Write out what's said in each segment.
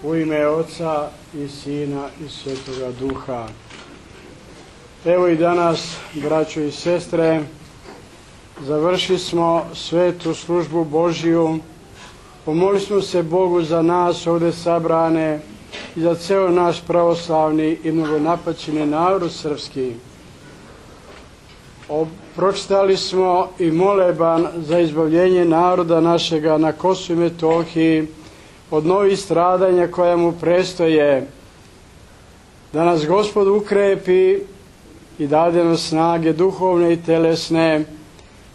U ime Oca i Sina i Svetoga Duha. Evo i danas, braćo i sestre, završili smo svetu službu Božiju. Pomolili smo se Bogu za nas ovdje sabrane i za ceo naš pravoslavni i mnogonapaćeni narod srpski. Pročitali smo i moleban za izbavljenje naroda našega na Kosovu i Metohiji od novih stradanja koja mu prestoje, da nas Gospod ukrepi i dade nam snage duhovne i telesne,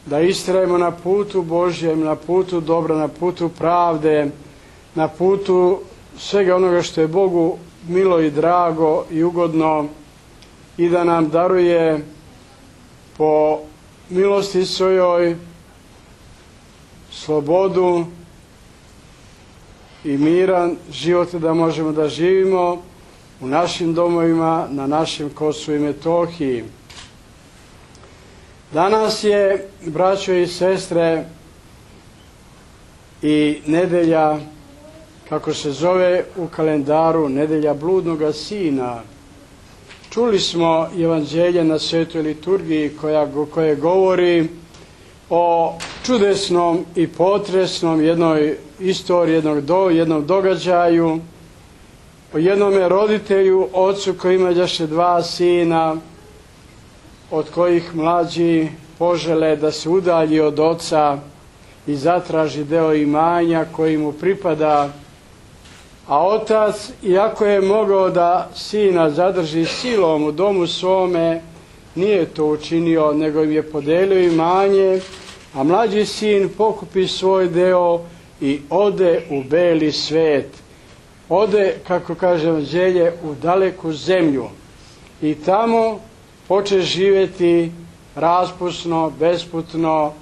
da istrajemo na putu Božjem, na putu dobra, na putu pravde, na putu svega onoga što je Bogu milo i drago i ugodno, i da nam daruje po milosti svojoj slobodu i miran život, da možemo da živimo u našim domovima, na našem Kosovu i Metohiji. Danas je, braćo i sestre, i nedelja, kako se zove u kalendaru, nedelja bludnoga sina. Čuli smo evanđelje na svetoj liturgiji koje govori o čudesnom i potresnom jednoj istoriji, jednom događaju, o jednome roditelju, ocu koji imađaše dva sina, od kojih mlađi požele da se udalji od oca i zatraži deo imanja koji mu pripada, a otac, iako je mogao da sina zadrži silom u domu svome, nije to učinio, nego im je podelio imanje, a mlađi sin pokupi svoj deo i ode u beli svet. Ode, kako kaže evanđelje, u daleku zemlju i tamo poče živjeti raspusno, besputno,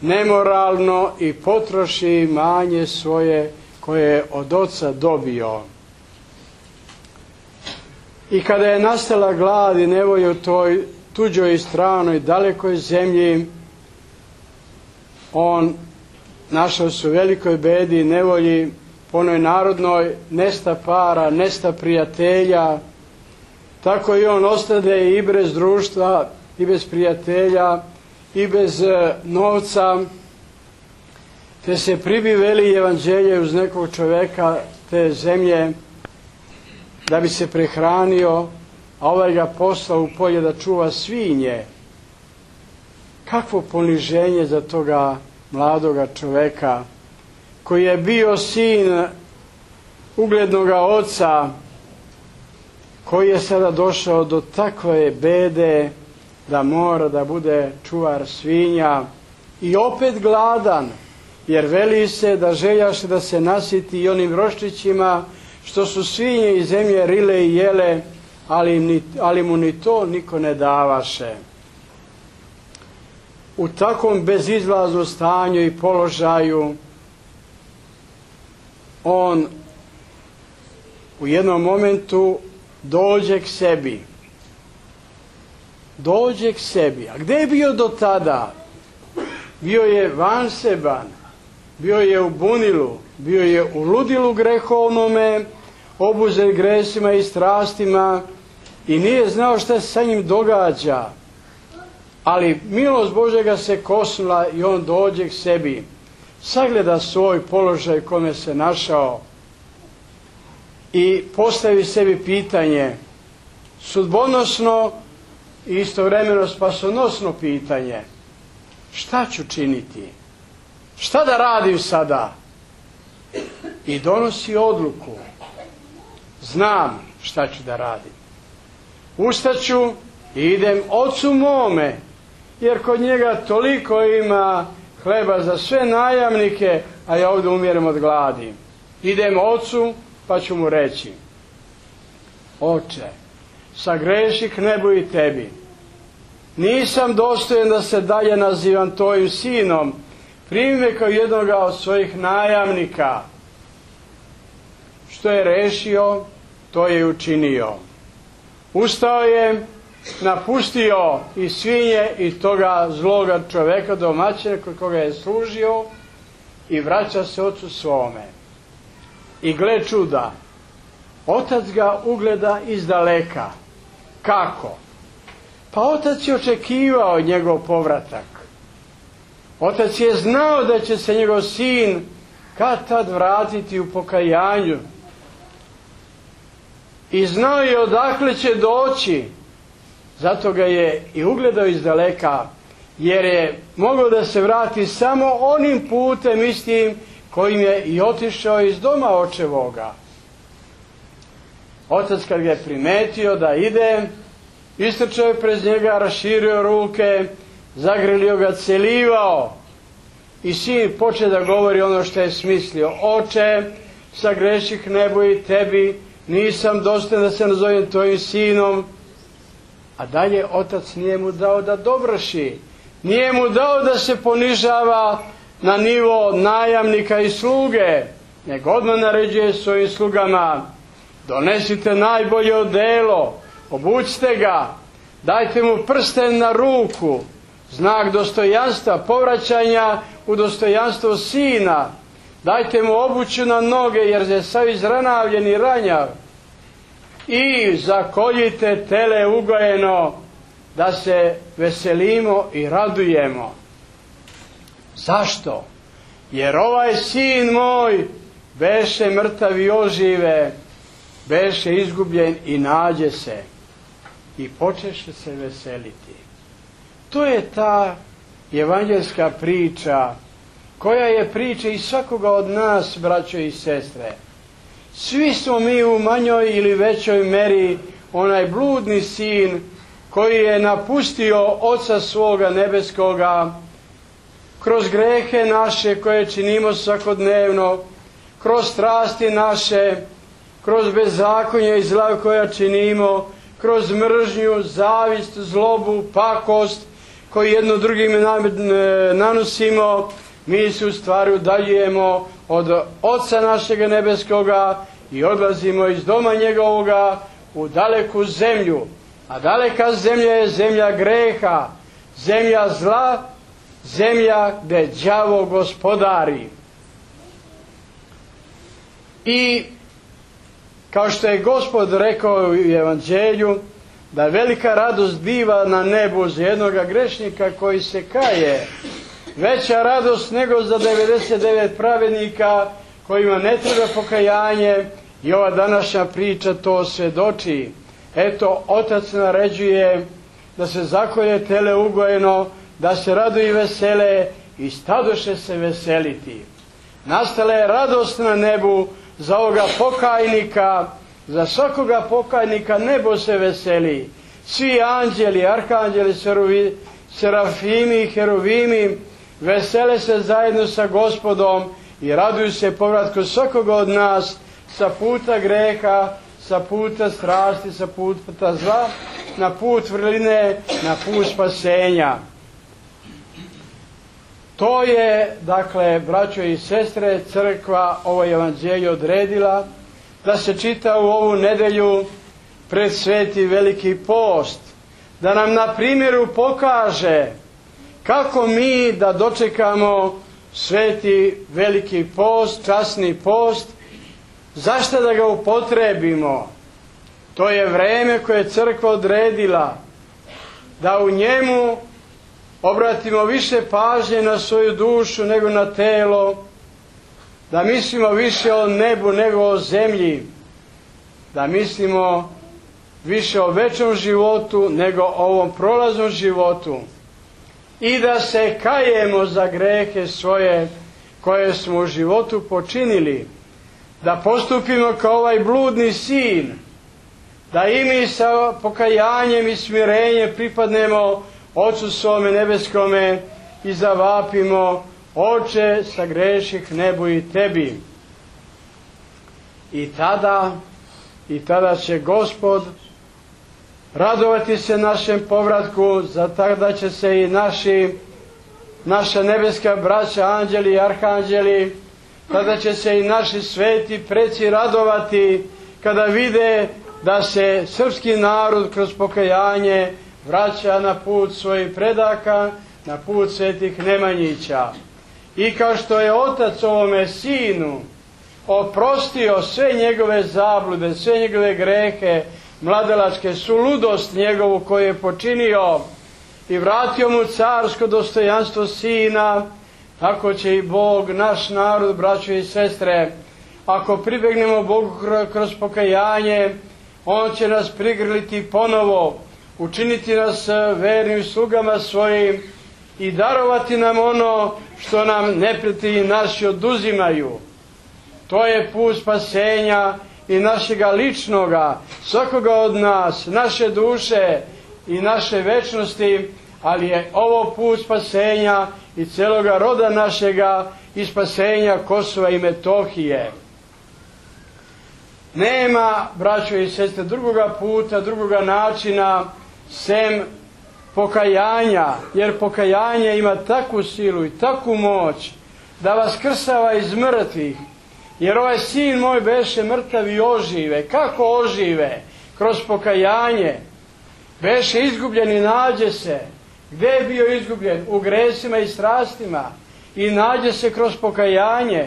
nemoralno i potroši imanje svoje koje je od oca dobio. I kada je nastala glad i nevolja u toj tuđoj i stranoj dalekoj zemlji, on našao se u velikoj bedi i nevolji, po onoj narodnoj, nesta para, nesta prijatelja. Tako i on ostade i bez društva, i bez prijatelja, i bez novca, te se pribi veli evanđelje uz nekog čoveka te zemlje da bi se prehranio, a ovaj ga poslao u polje da čuva svinje. Kakvo poniženje za toga mladoga čoveka koji je bio sin uglednoga oca, koji je sada došao do takve bede da mora da bude čuvar svinja i opet gladan, jer veli se da željaše da se nasiti i onim roščićima što su svinje iz zemlje rile i jele, ali mu ni to niko ne davaše. U takvom bezizlaznom stanju i položaju on u jednom momentu dođe k sebi. Dođe k sebi. A gde je bio do tada? Bio je vanseban, bio je u bunilu, bio je u ludilu grehovnome, obuzet gresima i strastima i nije znao šta se sa njim događa. Ali milost Božega se kosnula i on dođe k sebi. Sagleda svoj položaj kome se našao i postavi sebi pitanje, sudbonosno i istovremeno spasonosno pitanje: šta ću činiti? Šta da radim sada? I donosi odluku: znam šta ću da radim. Ustaću i idem ocu mome, jer kod njega toliko ima hleba za sve najamnike, a ja ovdje umirem od gladi. Idem ocu pa ću mu reći: oče, sagreših nebu i tebi. Nisam dostojen da se dalje nazivam tvojim sinom. Primi me kao jednoga od svojih najamnika. Što je rešio, to je učinio. Ustao je, napustio i svinje i toga zloga čoveka, domaćina kod koga je služio, i vraća se ocu svome. I gle čuda, Otac ga ugleda iz daleka. Kako? Pa otac je očekivao njegov povratak. Otac je znao da će se njegov sin kad tad vratiti u pokajanju. I znao je odakle će doći. Zato ga je i ugledao iz daleka, jer je mogao da se vrati samo onim putem istim kojim je i otišao iz doma očevoga. Otac kad ga je primetio da ide, istrčao je pred njega, raširio ruke, zagrlio ga, celivao. I sin poče da govori ono što je smislio. Oče, sagreših nebo i tebi, nisam dostojan da se nazovem tvojim sinom. A dalje otac nije mu dao da dovrši. Nije mu dao da se ponižava na nivo najamnika i sluge, nego odmah naređuje svojim slugama: donesite najbolje odelo, obućite ga, dajte mu prsten na ruku, znak dostojanstva, povraćanja u dostojanstvo sina, dajte mu obuću na noge jer je sav izranavljen i ranjav, i zakoljite tele ugojeno da se veselimo i radujemo. Zašto? Jer ovaj sin moj beše mrtav i ožive, beše izgubljen i nađe se, i počeše se veseliti. To je ta evanđelska priča, koja je priča i svakoga od nas, braćo i sestre. Svi smo mi u manjoj ili većoj meri onaj bludni sin koji je napustio Oca svoga nebeskoga kroz grehe naše koje činimo svakodnevno, kroz strasti naše, kroz bezakonje i zla koja činimo, kroz mržnju, zavist, zlobu, pakost koju jedno drugim nanosimo. Mi se u stvari udaljujemo od Oca našega nebeskoga i odlazimo iz doma njegovoga u daleku zemlju. A daleka zemlja je zemlja greha, zemlja zla, zemlja gdje đavo gospodari. I kao što je Gospod rekao u Evanđelju, da velika radost biva na nebu za jednoga grešnika koji se kaje, veća radost nego za 99 pravednika kojima ne treba pokajanje, i ova današnja priča to svjedoči. Eto, Otac naređuje da se zakolje tele ugojeno, da se raduju i vesele, i stadoše se veseliti. Nastala je radost na nebu za ovoga pokajnika, za svakoga pokajnika nebo se veseli. Svi anđeli, arhanđeli, serafimi i heruvimi vesele se zajedno sa Gospodom i raduju se povratku svakoga od nas sa puta greha, sa puta strasti, sa puta zla, na put vrline, na put spasenja. To je, dakle, braćo i sestre, crkva ovo evanđelje odredila da se čita u ovu nedelju pred Sveti Veliki post, da nam na primjeru pokaže kako mi da dočekamo Sveti Veliki post, časni post, zašto da ga upotrebimo. To je vreme koje je crkva odredila, da u njemu obratimo više pažnje na svoju dušu nego na telo, da mislimo više o nebu nego o zemlji, da mislimo više o večnom životu nego o ovom prolaznom životu, i da se kajemo za grehe svoje koje smo u životu počinili, da postupimo kao ovaj bludni sin, da i mi sa pokajanjem i smirenjem pripadnemo Ocu svome nebeskome i zavapimo: Oče, sagreših nebo i tebi. I tada će Gospod radovati se našem povratku, za tada će se i naša nebeska braća, anđeli i arhanđeli, tada će se i naši sveti preci radovati kada vide da se srpski narod kroz pokajanje vraća na put svojih predaka, na put svetih Nemanjića. I kao što je Otac ovome sinu oprostio sve njegove zablude, sve njegove grehe, mladalačke, suludost njegovu koju je počinio i vratio mu carsko dostojanstvo sina, tako će i Bog, naš narod, braćo i sestre, ako pribegnemo Bogu kroz pokajanje, On će nas prigrliti ponovo, učiniti nas vernim slugama svojim i darovati nam ono što nam neprijatelji naši oduzimaju. To je put spasenja i našega ličnoga, svakoga od nas, naše duše i naše večnosti, ali je ovo put spasenja i celoga roda našega i spasenja Kosova i Metohije. Nema, braćo i sestre, drugoga puta, drugoga načina sem pokajanja, jer pokajanje ima takvu silu i takvu moć da vas krsava iz mrtvih. Jer ovaj sin moj beše mrtav i ožive. Kako ožive? Kroz pokajanje. Beše izgubljen i nađe se. Gde je bio izgubljen? U gresima i strastima. I nađe se kroz pokajanje.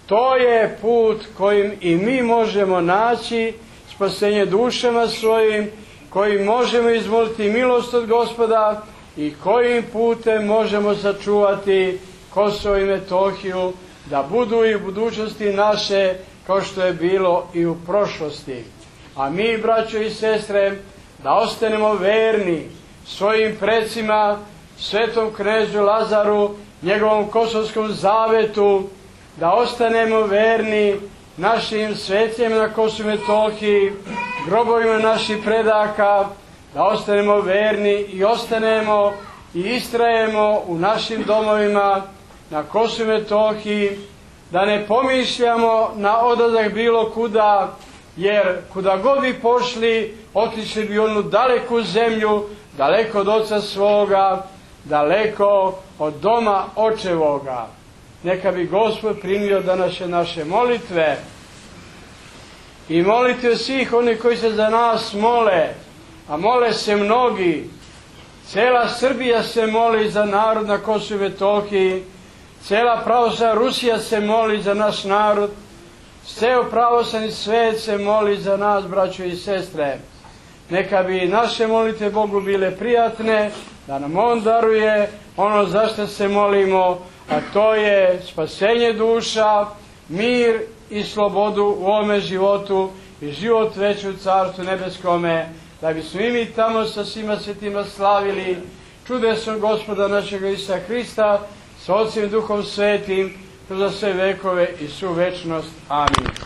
To je put kojim i mi možemo naći spasenje dušama svojim, kojim možemo izmoliti milost od Gospoda i kojim putem možemo sačuvati Kosovo i Metohiju, da budu i u budućnosti naše kao što je bilo i u prošlosti. A mi, braćo i sestre, da ostanemo verni svojim precima, svetom knezu Lazaru, njegovom kosovskom zavetu, da ostanemo verni našim svecima na Kosovu i Metohiji, grobovima naših predaka, da ostanemo verni i ostanemo i istrajemo u našim domovima na Kosovu i Metohiji, da ne pomišljamo na odlazak bilo kuda, jer kuda god bi pošli, otišli bi onu daleku zemlju, daleko od oca svoga, daleko od doma očevoga. Neka bi Gospod primio današnje naše molitve i molitve svih onih koji se za nas mole, a mole se mnogi. Cela Srbija se moli za narod na Kosovu i Metohiji, cela pravoslavna Rusija se moli za naš narod, ceo pravoslavni svet se moli za nas, braćo i sestre. Neka bi naše molitve Bogu bile prijatne, da nam On daruje ono za što se molimo, a to je spasenje duša, mir i slobodu u ovome životu i život veći u Carstvu nebeskome, da bismo i mi tamo sa svima svetima slavili čudesnog Gospoda našega Isusa Hrista, sa Otcem i Duhom Svetim, kroz sve vekove i svu večnost. Amin.